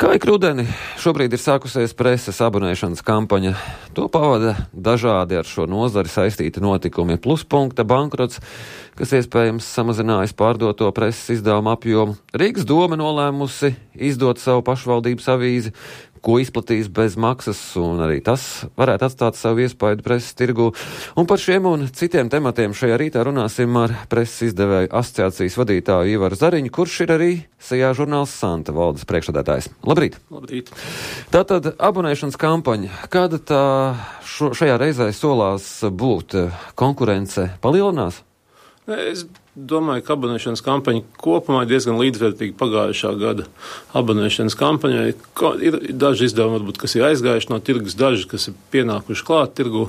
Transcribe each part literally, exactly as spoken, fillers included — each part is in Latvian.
Kā ik rudeni, šobrīd ir sākusies preses abonēšanas kampaņa. To pavada dažādi ar šo nozari saistīti notikumi. Pluspunkta bankrots, kas iespējams samazinājis pārdoto preses izdevumu apjomu. Rīgas doma nolēmusi izdot savu pašvaldības avīzi, ko izplatīs bez maksas, un arī tas varētu atstāt savu iespaidu preses tirgū. Un par šiem un citiem tematiem šajā rītā runāsim ar preses izdevēju asociācijas vadītāju Ivaru Zariņu, kurš ir arī Sejā žurnāls Santa valdes priekšsēdētājs. Labrīt! Labrīt! Tātad abonēšanas kampaņa. Kāda tā šo, šajā reizē solās būt? Konkurence palielinās? Es domāju, ka abonēšanas kampaņa kopumā ir diezgan līdzvērtīga pagājušā gada abonēšanas kampaņai. Ir daži izdevumi, varbūt, kas ir aizgājuši no tirgus, daži, kas ir pienākuši klāt tirgu.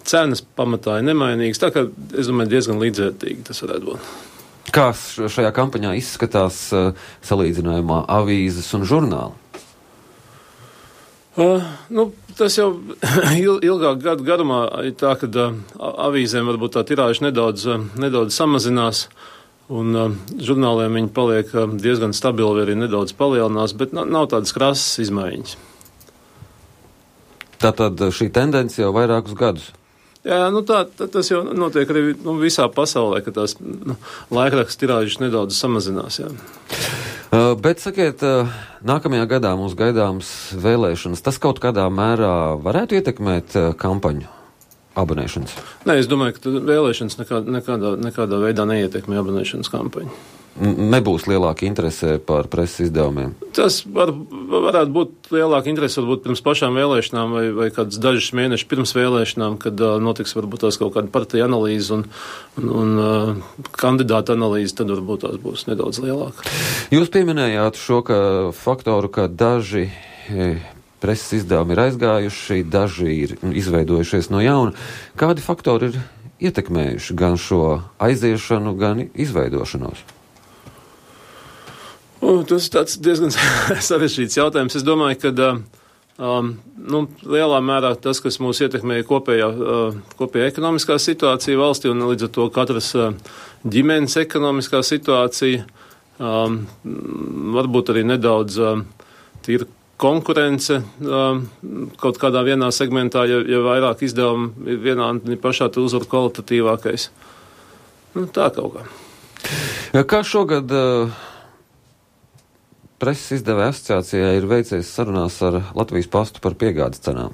Cenas pamatā ir nemainīgas, tā kā es domāju, diezgan līdzvērtīgi tas varētu būt. Kā šajā kampaņā izskatās salīdzinājumā avīzes un žurnāli? Uh, nu, tas jau ilgāk gadu garumā ir tā, ka uh, avīzēm varbūt tā tirāža nedaudz, uh, nedaudz samazinās, un uh, žurnāliem viņi paliek uh, diezgan stabili, vai arī nedaudz palielinās, bet nav, nav tādas krasas izmaiņas. Tātad šī tendence jau vairākus gadus? Jā, nu tā, tā tas jau notiek arī nu, visā pasaulē, ka tās nu, laikraksta tirāžas nedaudz samazinās, jā. Uh, bet, sakiet, uh, nākamajā gadā mums gaidāms vēlēšanas. Tas kaut kādā mērā varētu ietekmēt uh, kampaņu abonēšanas? Nē, es domāju, ka vēlēšanas nekā, nekādā, nekādā veidā neietekmē abonēšanas kampaņu. Nebūs lielāka interese par preses izdevumiem? Tas var, varētu būt lielāka interese varbūt pirms pašām vēlēšanām vai, vai kāds dažus mēnešus pirms vēlēšanām, kad uh, notiks varbūt tās kaut kāda partija analīze un, un, un uh, kandidāta analīze, tad varbūt tās būs nedaudz lielāka. Jūs pieminējāt šo ka faktoru, ka daži e, preses izdevumi ir aizgājuši, daži ir izveidojušies no jauna. Kādi faktori ir ietekmējuši gan šo aiziešanu, gan izveidošanos? Uh, tas ir tāds diezgan sarežģīts jautājums. Es domāju, ka um, nu, lielā mērā tas, kas mūs ietekmē kopējā, uh, kopējā ekonomiskā situācija valstī un līdz ar to katras uh, ģimenes ekonomiskā situācija, um, varbūt arī nedaudz uh, tīra konkurence um, kaut kādā vienā segmentā, ja, ja vairāk izdevumi ir vienā un pašā tu uzvar kvalitatīvākais. Nu, tā kaut kā. Kā šogad uh... Preses izdevēja asociācijai ir veicies sarunās ar Latvijas pastu par piegādes cenām?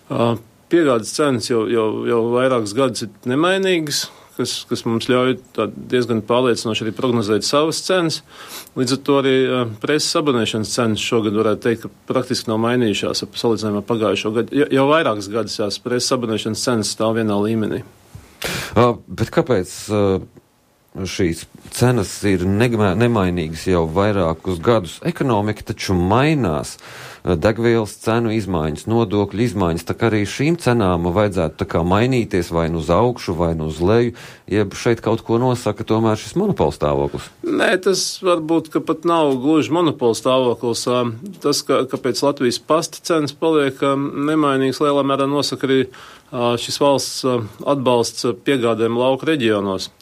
Uh, piegādes cenas jau, jau, jau vairākus gadus ir nemainīgas, kas, kas mums ļauj diezgan pārliecinoši arī prognozēt savas cenas. Līdz ar to arī uh, preses abonēšanas cenas šogad varētu teikt, ka praktiski nav mainījušās ap salīdzinājumā pagājušo gadu. Ja, jau vairākas gadus jās preses abonēšanas cenas stāv vienā līmenī. Uh, bet kāpēc... Uh... Šīs cenas ir nemainīgas jau vairākus gadus. Ekonomika taču mainās. Degvielas cenu izmaiņas, nodokļu izmaiņas, tā kā arī šīm cenām vajadzētu tā kā mainīties vai nu uz augšu, vai nu uz leju, jeb šeit kaut ko nosaka tomēr šis monopola stāvoklis. Nē, tas varbūt, ka pat nav gluži monopola stāvoklis. Tas, ka, kāpēc Latvijas pasta cenas paliek nemainīgas, lielā mērā nosaka arī šis valsts atbalsts piegādēm lauku reģionos.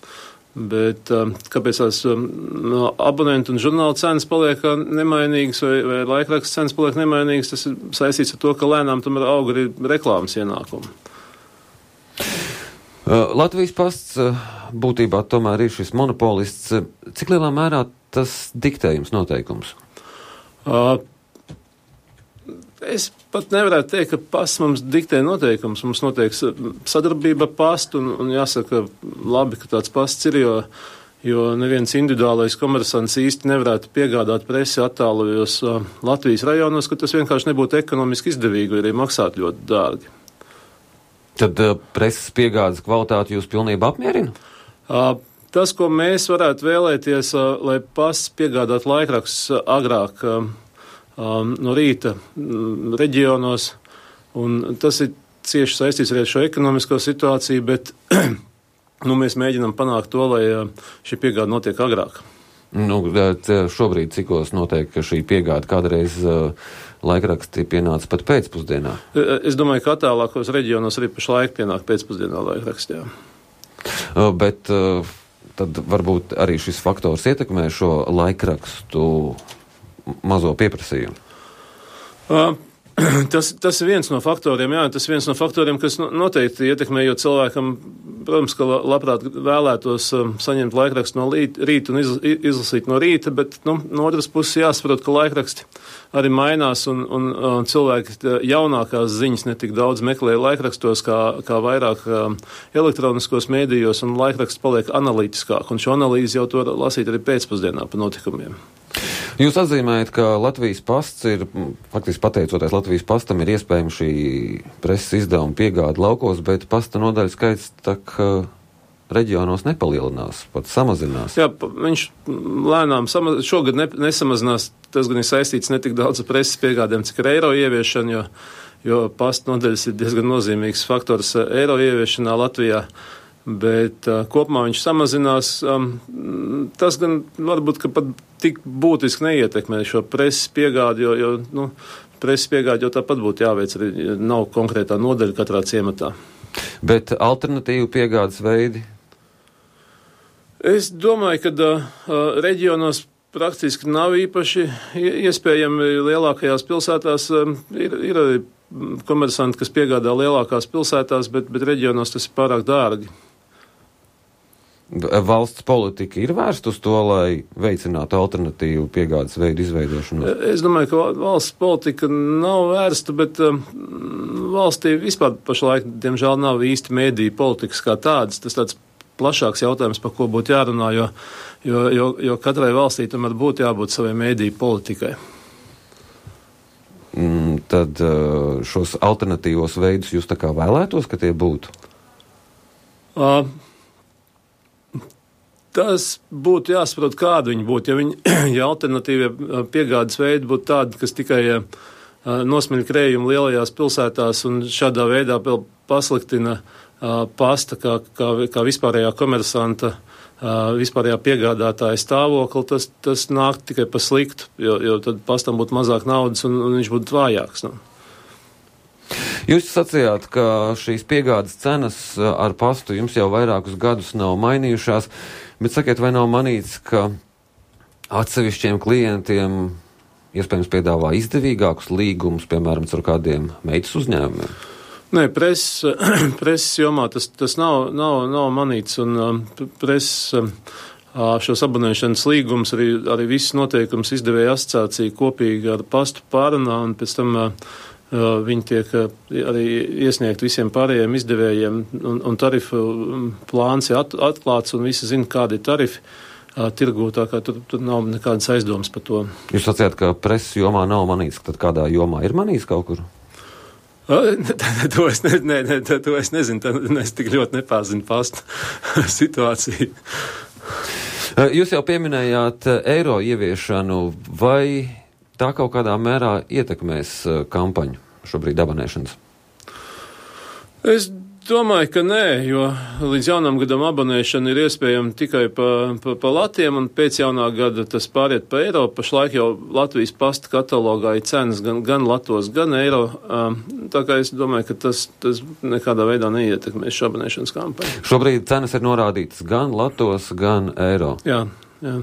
Bet kāpēc tās no abonentu un žurnāla cenas paliek nemainīgas vai, vai laikraksta cenas paliek nemainīgas, tas ir saistīts ar to, ka lēnām tomēr aug arī reklāmas ienākumi. Latvijas pasts būtībā tomēr ir šis monopolists. Cik lielā mērā tas diktē jums noteikums? Uh, Es pat nevarētu teikt, ka pasts mums diktē noteikums. Mums notiek sadarbība ar pastu, un, un jāsaka, labi, ka tāds pasts ir, jo, jo neviens individuālais komersants īsti nevarētu piegādāt presi attālajos uh, Latvijas rajonos, ka tas vienkārši nebūtu ekonomiski izdevīgi, vai arī maksāt ļoti dārgi. Tad uh, preses piegādes kvalitāti jūs pilnībā apmierina? Uh, tas, ko mēs varētu vēlēties, uh, lai pasts piegādāt laikrakstus uh, agrāk, uh, Um, no rīta um, reģionos, un tas ir cieši saistīts arī ar šo ekonomisko situāciju, bet nu, mēs mēģinām panākt to, lai uh, šī piegāda notiek agrāk. Nu, šobrīd cikos notiek šī piegāda, kādreiz uh, laikraksti pienāca pat pēcpusdienā? Es domāju, ka attālākos reģionos arī pašlaik pienāk pēcpusdienā laikrakstā. Uh, bet uh, tad varbūt arī šis faktors ietekmē šo laikrakstu mazo pieprasījumu? Uh. Tas, tas ir viens no faktoriem, jā, tas ir viens no faktoriem, kas noteikti ietekmē, jo cilvēkam, protams, ka labprāt vēlētos um, saņemt laikrakstu no rīta un izl, izlasīt no rīta, bet, nu, no otras puses jāsaprot, ka laikraksti arī mainās un, un, un cilvēki jaunākās ziņas netik daudz meklē laikrakstos, kā, kā vairāk um, elektroniskos mēdījos, un laikraksts paliek analītiskāk, un šo analīzi jau to lasīt arī pēcpusdienā pa notikumiem. Jūs atzīmējat, ka Latvijas pasts ir, faktiski pateicoties Latvijas pastam, ir iespējama šī preses izdevuma piegāde laukos, bet pasta nodaļu skaits tak uh, reģionos nepalielinās, pat samazinās. Jā, viņš lēnām samaz... šogad ne, nesamazinās, tas gan ir saistīts netik daudz ar preses piegādēm, cik ar eiro ieviešanu, jo, jo pasta nodaļas ir diezgan nozīmīgs faktors eiro ieviešanā Latvijā. Bet uh, kopumā viņš samazinās. Um, tas gan varbūt, ka pat tik būtiski neietekmē šo preses piegādi, jo, jo nu, preses piegādi jau tāpat būtu jāveic, arī nav konkrētā nodaļa katrā ciematā. Bet alternatīvu piegādes veidi? Es domāju, ka uh, reģionos praktiski nav īpaši iespējami lielākajās pilsētās. Um, ir, ir arī komersanti, kas piegādā lielākās pilsētās, bet, bet reģionos tas ir pārāk dārgi. Valsts politika ir vērsta uz to, lai veicinātu alternatīvu piegādes veidu izveidošanu? Es domāju, ka valsts politika nav vērsta, bet um, valstī vispār pašlaik, diemžēl, nav īsti mēdīju politikas kā tādas. Tas tāds plašāks jautājums, par ko būtu jārunā, jo, jo, jo, jo katrai valstī tomēr būtu jābūt savai mēdīju politikai. Mm, tad uh, šos alternatīvos veidus jūs tā kā vēlētos, ka tie būtu? Uh, Tas būtu jāsaprot, kāda viņi būtu. Ja, viņi, ja alternatīvie piegādes veidi būtu tādi, kas tikai uh, nosmiļ krējumu lielajās pilsētās un šādā veidā vēl pasliktina uh, pasta kā, kā, kā vispārējā komersanta, uh, vispārējā piegādātāja stāvokli, tas, tas nāk tikai pa sliktu, jo, jo tad pastam būtu mazāk naudas un, un viņš būtu vājāks. Nu. Jūs sacījāt, ka šīs piegādes cenas ar pastu jums jau vairākus gadus nav mainījušās, bet sakiet, vai nav manīts, ka atsevišķiem klientiem iespējams piedāvā izdevīgākus līgumus, piemēram, ar kādiem meitas uzņēmumiem? Nē, preses, preses jomā tas, tas nav, nav, nav manīts, un um, preses um, šos abonēšanas līgumus, arī, arī visas noteikums izdevēja asociācija kopīgi ar pastu pārunā, un pēc tam uh, viņi tiek arī iesniegt visiem pārējiem izdevējiem, un, un tarifu plāns ir at, atklāts, un visi zina, kādi ir tarifi uh, tirgū, tā kā tur, tur nav nekādas aizdomas par to. Jūs sacījāt, ka preses jomā nav manīts, tad kādā jomā ir manīts kaut kur? Uh, to, es ne, ne, ne, to es nezinu, tā, es tik ļoti nepāzinu pastu situāciju. Jūs jau pieminējāt eiro ieviešanu, vai tā kaut kādā mērā ietekmēs kampaņu šobrīd abonēšanas? Es domāju, ka nē, jo līdz jaunam gadam abonēšana ir iespējama tikai pa, pa, pa latiem, un pēc jaunā gada tas pāriet pa eiro. Pašlaik jau Latvijas pasta katalogā ir cenas gan, gan latos, gan eiro. Tā kā es domāju, ka tas, tas nekādā veidā neietekmēs šo abonēšanas kampaņu. Šobrīd cenas ir norādītas gan latos, gan eiro. Jā, jā.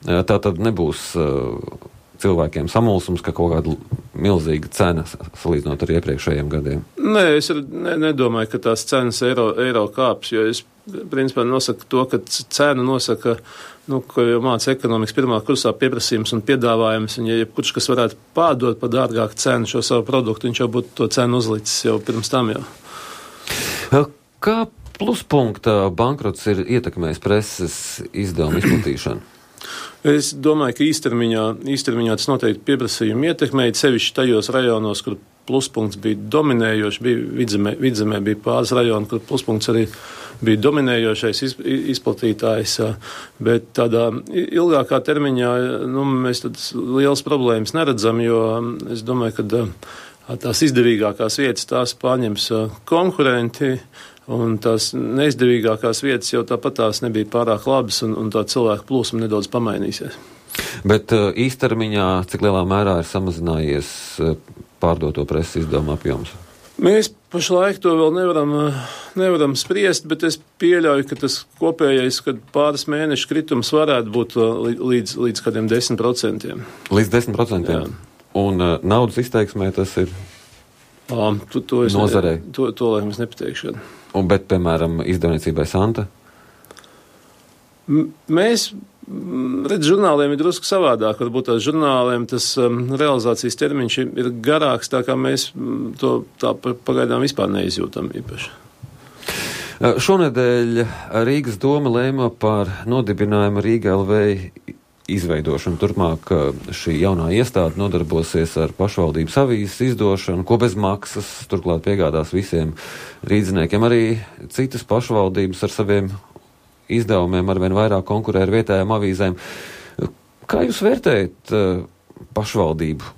Tā tad nebūs uh, cilvēkiem samulsums, ka kaut kāda milzīga cena salīdzinot ar iepriekšējiem gadiem? Nē, es ne, nedomāju, ka tās cenas eiro, eiro kāps, jo es principā nosaku to, ka cena nosaka, nu, ko jau māca ekonomikas pirmā kursā pieprasījums un piedāvājums, un ja jebkurš, kas varētu pārdot par dārgāku cenu šo savu produktu, viņš jau būtu to cenu uzlicis jau pirms tam jau. Kā pluspunkta bankrots ir ietekmējis preses izdevumu izplatīšanu? Es domāju, ka īstermiņā, īstermiņā tas noteikti pieprasījumu ietekmēja, sevišķi tajos rajonos, kur pluspunkts bija dominējošs, bija vidzemē, vidzemē bija pāris rajoni, kur pluspunkts arī bija dominējošais iz, izplatītājs, bet tādā ilgākā termiņā, nu, mēs tādas lielas problēmas neredzam, jo es domāju, ka tās izdevīgākās vietas tās pārņems konkurenti, un tās neizdevīgākās vietas jau tāpat tās nebija pārāk labas, un, un tā cilvēku plūsma nedaudz pamainīsies. Bet uh, īstermiņā, cik lielā mērā ir samazinājies uh, pārdoto preses izdevumu apjoms? Mēs pašlaik to vēl nevaram, nevaram spriest, bet es pieļauju, ka tas kopējais, kad pāris mēnešu kritums varētu būt līdz, līdz kādiem desmit procentiem. Līdz desmit procentiem? Jā. Un uh, naudas izteiksmē tas ir um, to, to es nozarei? Ne, to, to laikam es nepateikšu. Un, bet, piemēram, izdevniecībai Santa? M- mēs... Redz, žurnāliem ir drusku savādāk. Varbūt tās žurnāliem tas um, realizācijas termiņš ir garāks, tā kā mēs to tā pagaidām vispār neizjūtam īpaši. Šonedēļ Rīgas doma lēma par nodibinājumu Rīga L V izveidošanu. Turpmāk šī jaunā iestāde nodarbosies ar pašvaldības avīzes izdošanu, ko bez maksas turklāt piegādās visiem rīdziniekiem. Arī citas pašvaldības ar saviem izdevumiem arvien vairāk konkurē ar vietējām avīzēm. Kā jūs vērtējat uh, pašvaldību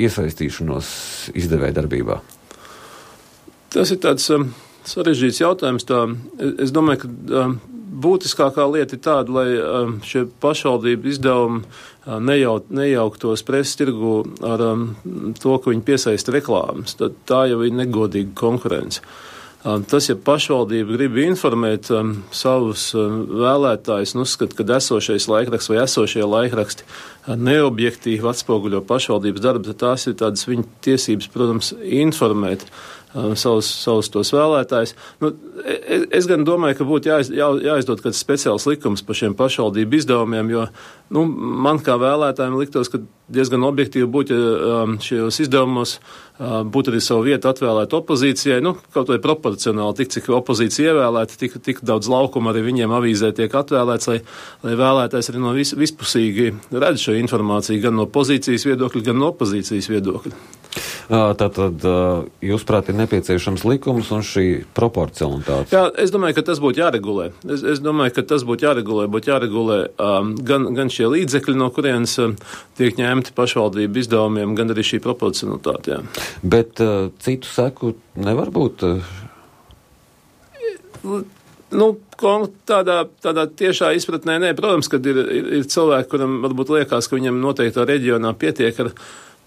iesaistīšanos izdevēja darbībā? Tas ir tāds um, sarežģīts jautājums. Tā, es domāju, ka um, būtiskākā lieta ir tāda, lai um, šie pašvaldību izdevumi uh, nejauk, nejauktos preses tirgu ar um, to, ka viņi piesaista reklāmas. Tad tā jau ir negodīga konkurence. Tas, ja pašvaldība grib informēt um, savus um, vēlētājus un uzskata, ka esošais laikraksts vai esošie laikraksti uh, neobjektīvi atspoguļo pašvaldības darbu, tad tās ir tādas viņa tiesības, protams, informēt um, savus, savus tos vēlētājus. Nu, es, es gan domāju, ka būtu jāiz, jā, jāizdod kāds speciāls likums par šiem pašvaldību izdevumiem, jo nu, man kā vēlētājiem liktos, ka diezgan objektīvi būtu, ja um, šajos izdevumos uh, būtu arī savu vietu atvēlēt opozīcijai, nu, kaut vai proporcionāli, tik cik opozīcija ievēlēta, tik, tik daudz laukuma arī viņiem avīzē tiek atvēlēts, lai, lai vēlētājs arī no vis, vispusīgi redz šo informāciju, gan no pozīcijas viedokļa, gan no opozīcijas viedokļa. Tātad, jūsuprāt, ir nepieciešams likums un šī proporcionalitāte? Jā, es domāju, ka tas būtu jāregulē. Es, es domāju, ka tas būtu jāregulē, būtu jāregulē um, gan, gan šie līdzekļi, no kurienes um, tiek ņemti pašvaldību izdevumiem, gan arī šī proporcionalitāte. Jā. Bet uh, citu seku nevar būt? Uh... Nu, tādā, tādā tiešā izpratnē, nē, protams, kad ir, ir, ir cilvēki, kuram varbūt liekas, ka viņam noteiktā reģionā pietiek ar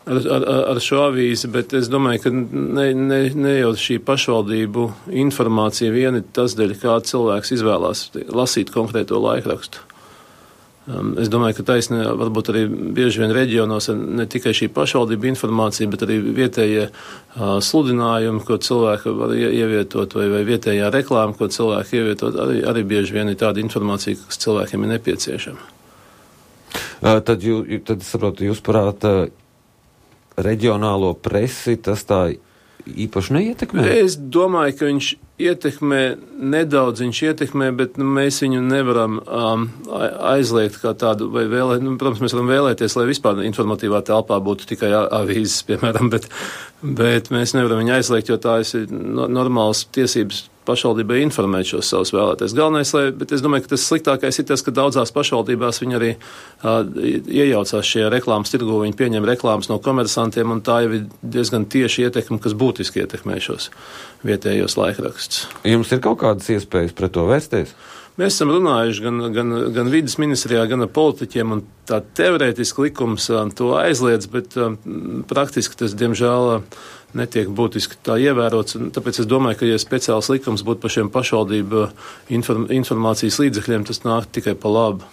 Ar, ar, ar šo avīzi, bet es domāju, ka ne, ne, ne jau šī pašvaldību informācija vien ir tas dēļ, kā cilvēks izvēlās lasīt konkrēto laikrakstu. Um, es domāju, ka taisnē varbūt arī bieži vien reģionos ne tikai šī pašvaldība informācija, bet arī vietējie uh, sludinājumi, ko cilvēki var ievietot, vai, vai vietējā reklāma, ko cilvēki ievietot, arī, arī bieži vien ir tāda informācija, kas cilvēkiem ir nepieciešama. Uh, tad, jū, tad es saprotu, jūs prāt, uh, reģionālo presi tas tā īpaši neietekmē? Es domāju, ka viņš ietekmē, nedaudz viņš ietekmē, bet nu, mēs viņu nevaram um, aizliegt kā tādu, vai vēlēt, nu, protams, mēs varam vēlēties, lai vispār informatīvā telpā būtu tikai avīzes, piemēram, bet, bet mēs nevaram viņu aizliegt, jo tā ir no, normāls tiesības pašvaldībai informēt šos savus vēlētājus. Galvenais, lai, bet es domāju, ka tas sliktākais ir tas, ka daudzās pašvaldībās viņi arī uh, iejaucās šajā reklāmas tirgu, viņi pieņem reklāmas no komersantiem, un tā jau ir diezgan tieši ietekme, kas būtiski ietekmē šos vietējos laikrakstus. Jums ir kaut kādas iespējas pret to vērsties? Mēs esam runājuši gan, gan, gan vides ministrijā, gan ar politiķiem, un tā teorētiski likums uh, to aizliedz, bet uh, praktiski tas, diemžēl, uh, netiek būtiski tā ievērots, un tāpēc es domāju, ka, ja speciāls likums būtu par šiem pašvaldību inform, informācijas līdzekļiem, tas nāk tikai pa labu.